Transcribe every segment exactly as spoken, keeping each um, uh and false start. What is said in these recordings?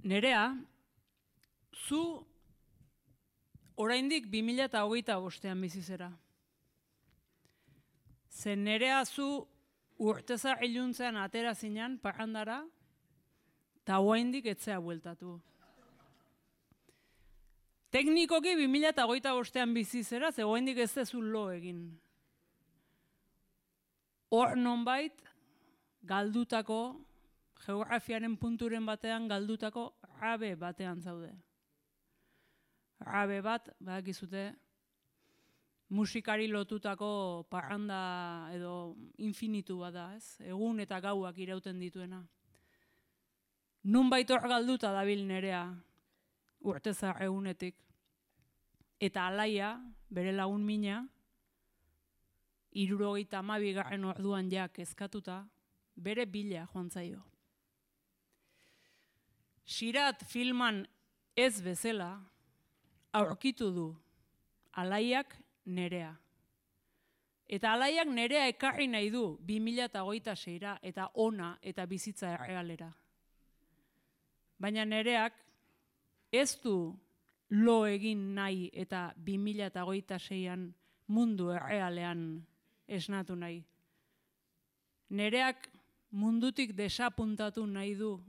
Nerea, zu oraindik bi mila hogeita bostean bizizera. Zen nerea zu urteza iluntzean atera zinan parrandara, eta oraindik etzea bueltatu. Teknikoki bi mila hogeita bostean bizizera, ze oraindik ez dezu lo egin. Hor nonbait, galdutako, geografiaren punturen batean galdutako rabe batean zaude. Rabe bat, badakizute, musikari lotutako parranda edo infinitu bat da, ez? Egun eta gauak irauten dituena. Nonbait hor galduta dabil nerea, urtezar egunetik. Eta alaia, bere lagun mina, hirurogeita hamabigarren orduan ja kezkatuta, bere bila joan zaio. Sirat filman ez bezala, aurkitu du alaiak nerea. Eta alaiak nerea ekarri nahi du bi mila hogeita seira eta ona eta bizitza errealera. Baina nereak ez du lo egin nahi eta bi mila hogeita seian mundu errealean esnatu nahi. Nereak mundutik desapuntatu nahi du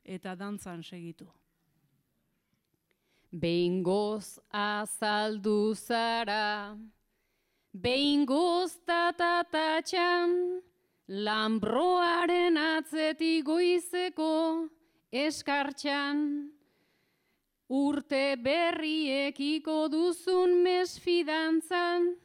eta dantzan segitu. Behingoz azaldu zara, behingoz tatatatxan, lambroaren atzetik goizeko eskartxan, urte berriekiko duzun mesfidantzan,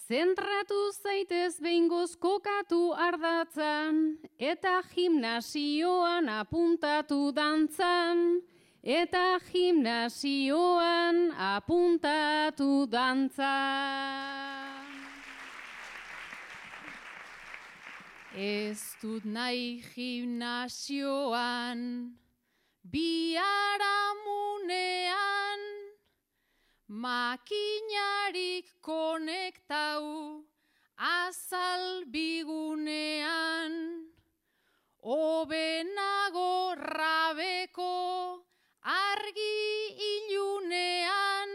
zentratu zaitez behingoz kokatu ardatzan, eta gimnasioan apuntatu dantzan, eta gimnasioan apuntatu dantzan. Ez dut nahi gimnasioan, biharamunean, makinarik konektau azal bigunean, obenago rabeko argi ilunean,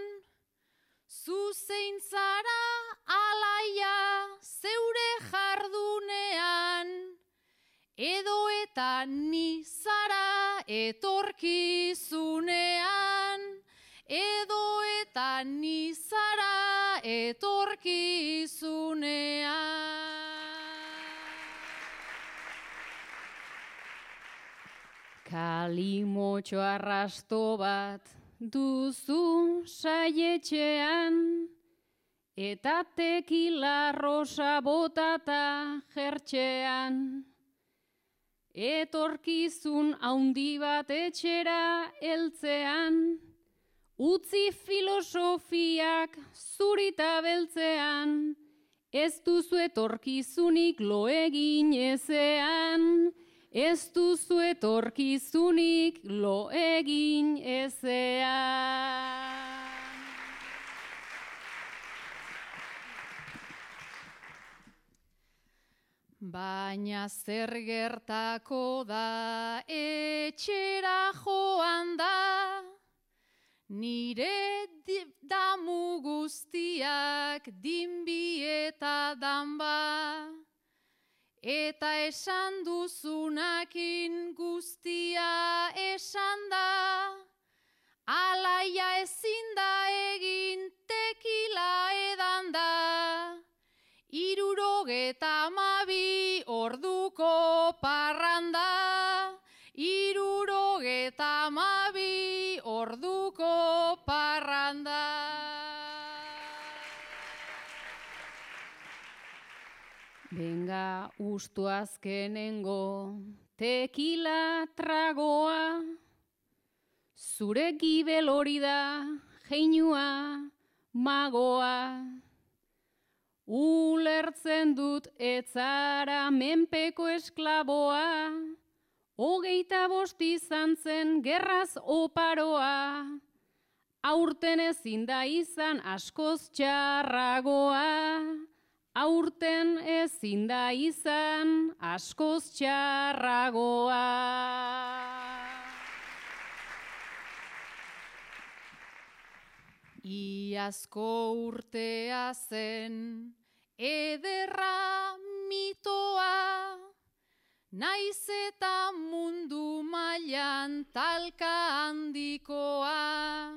zuzein zara alaia zeure jardunean, edo eta ni zara etorkizunean, edo eta ni zara etorkizunean. Kalimotxo arrasto bat duzu saietxean, eta tekila rosa botata jertxean. Etorkizun haundi bat etxera heltzean, utzi filosofiak zurita beltzean, ez duzu etorkizunik lo egin ezean, ez duzu etorkizunik lo egin ezean. Baina zer gertako da etxera joan da, nire damu guztiak dinbi eta danba, eta esan duzunakin guztia esan da, alaia ezin da egin tekila edan da, irurogeta amabi orduko parranda, irurogeta amabi orduko parranda. Benga ustu azkenengo tekila tragoa, zure gibel hori da jeinua magoa. Ulertzen dut etzara menpeko esklaboa, hogeita bost izan zen gerraz oparoa, aurten ezin da izan askoz txarragoa, aurten ezin da izan askoz txarragoa. Iazko urtea zen ederra mitoa, naiz eta mundu mailan talka handikoa.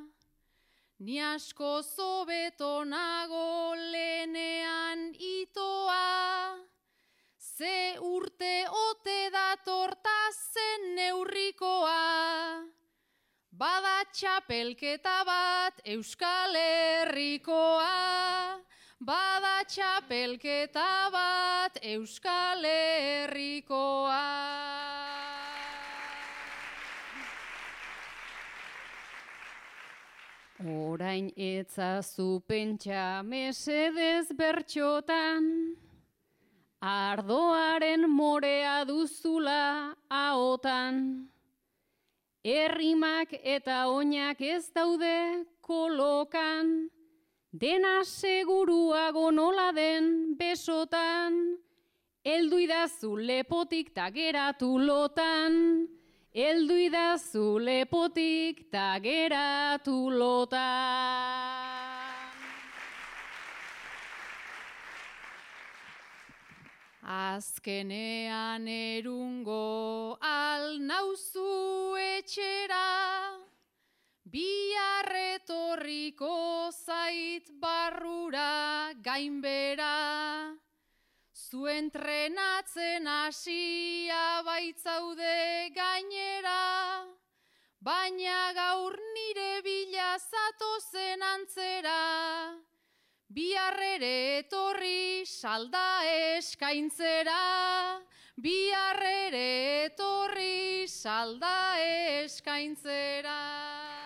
Ni asko zobeto nago lehenean itoa, ze urte ote datorta zen neurrikoa. Bada txapelketa bat Euskal Herrikoa, bada txapelketa bat Euskal Herrikoa. Orain etzazu pentsa mesedez bertxotan, ardoaren morea duzula ahotan. Errimak eta oinak ez daude kolokan, dena seguruago nola den besotan. Eldu idazu lepotik ta geratu lotan, eldu idazu lepotik ta geratu lotan. Azkenean erungo al nauzu etxera, bihar etorriko zait barrura gainbera. Zu entrenatzen hasia baitzaude gainera, baina gaur nire bila zatozen antzera. Bihar ere etorri salda eskaintzera, bihar ere etorri salda eskaintzera.